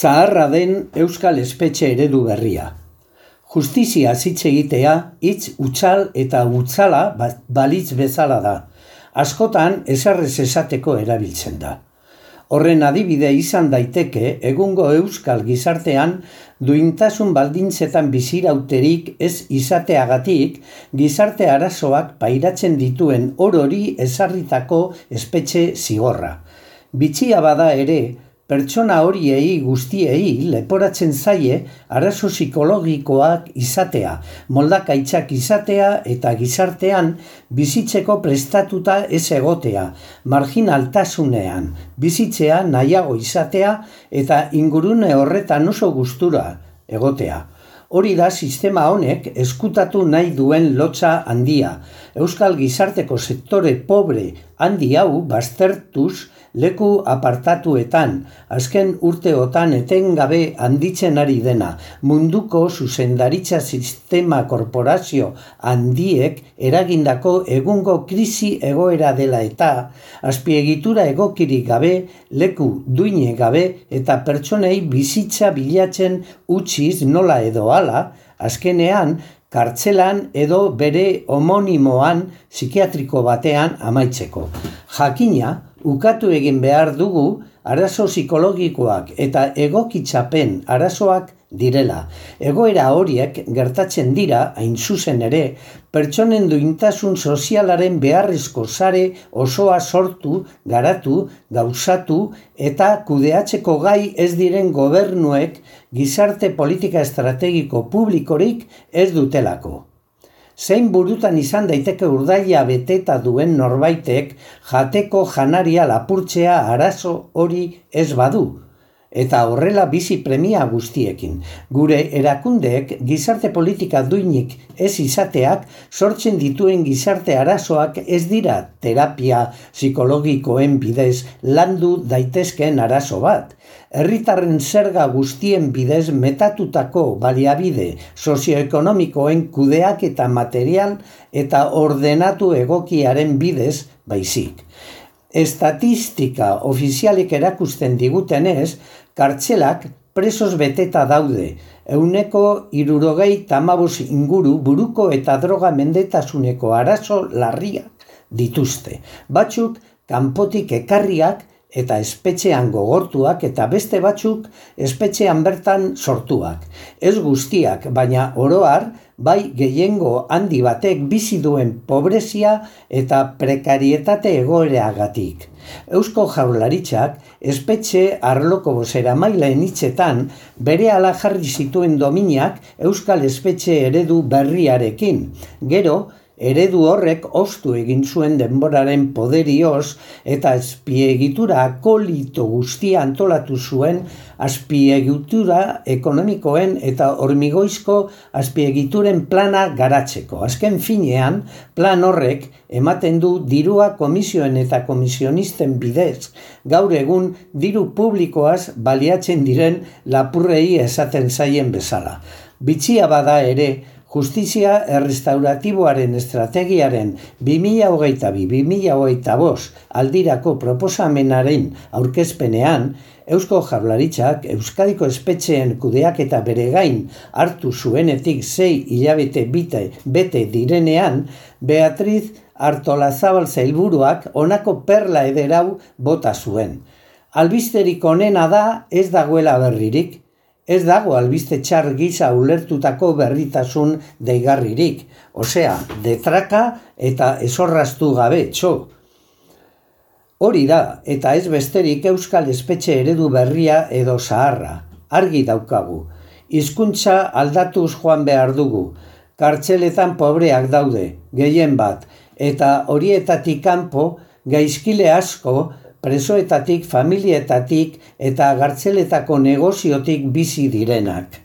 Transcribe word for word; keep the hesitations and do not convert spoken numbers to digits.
Zaharra den euskal espetxe eredu berria. Justizia hitz egitea hitz hutsal eta hutsala balitz bezala da. Askotan eserrez esateko erabiltzen da. Horren adibide izan daiteke egungo euskal gizartean duintasun baldintzetan bizirauterik ez izateagatik gizarte arazoak pairatzen dituen orori ezarritako espetxe zigorra. Bitxia bada ere, pertsona horiei guztiei leporatzen zaie arazo psikologikoak izatea, moldakaitzak izatea eta gizartean bizitzeko prestatuta ez egotea, marginaltasunean bizitzea nahiago izatea eta ingurune horretan oso gustura egotea. Hori da sistema honek ezkutatu nahi duen lotsa handia. Euskal gizarteko sektore pobre handi hau baztertuz leku apartatuetan, azken urteotan etengabe handitzen ari dena, munduko zuzendaritza sistema korporazio handiek eragindako egungo krisi egoera dela eta azpiegitura egokirik gabe, leku duine gabe eta pertsonei bizitza bilatzen utziz nola edo hala, azkenean kartzelan edo bere homonimoan psikiatriko batean amaitzeko. Jakina, ukatu egin behar dugu arazo psikologikoak eta egokitzapen arazoak direla. Egoera horiek gertatzen dira, hain zuzen ere, pertsonen duintasun sozialaren beharrezko sare osoa sortu, garatu, gauzatu eta kudeatzeko gai ez diren gobernuek gizarte politika estrategiko publikorik ez dutelako. Zein burutan izan daiteke urdaila beteta duen norbaitek jateko janaria lapurtzea arazo hori ez badu, eta horrela bizi premia guztiekin. Gure erakundeek gizarte politika duinik ez izateak sortzen dituen gizarte arazoak ez dira terapia psikologikoen bidez landu daitezkeen arazo bat. Herritarren zerga guztien bidez metatutako baliabide sozioekonomikoen kudeak eta material eta ordenatu egokiaren bidez baizik. Estatistika ofizialik erakusten digutenez, kartzelak presos beteta daude, ehuneko hirurogei tamabos inguru buruko eta droga mendetasuneko arazo larriak dituzte. Batzuk kanpotik ekarriak eta espetxean gogortuak eta beste batzuk espetxean bertan sortuak. Ez guztiak, baina oro har, bai gehiengo handi batek bizi duen pobrezia eta prekarietate egoeragatik. Eusko Jaurlaritzak espetxe arloko bozeramaileen hitzetan berehala jarri zituen dominak euskal espetxe eredu berriarekin. Gero, eredu horrek ostu egin zuen denboraren poderioz eta azpiegitura akolito guztia antolatu zuen azpiegitura ekonomikoen eta hormigoizko azpiegituren plana garatzeko. Azken finean, plan horrek ematen du dirua komisioen eta komisionisten bidez, gaur egun diru publikoaz baliatzen diren lapurrei esaten zaien bezala. Bitxia bada ere, Justizia errestauratiboaren estrategiaren bi mila hogeita bi bi mila hogeita bost aldirako proposamenaren aurkezpenean, Eusko Jaurlaritzak Euskadiko espetxeen kudeaketa bere gain hartu zuenetik sei hilabete bite bete direnean, Beatriz Artolazabal sailburuak honako perla ederau bota zuen. Albisterik onena da ez dagoela berririk. Ez dago albiste txar gisa ulertutako berritasun deigarririk, osea, detraka eta esorraztu gabe, txo. Hori da, eta ez besterik euskal espetxe eredu berria edo zaharra, argi daukagu. Hizkuntza aldatuz joan behar dugu, kartzeletan pobreak daude, gehien bat, eta horietatik kanpo gaizkile asko, presoetatik, familietatik eta gartzeletako negoziotik bizi direnak.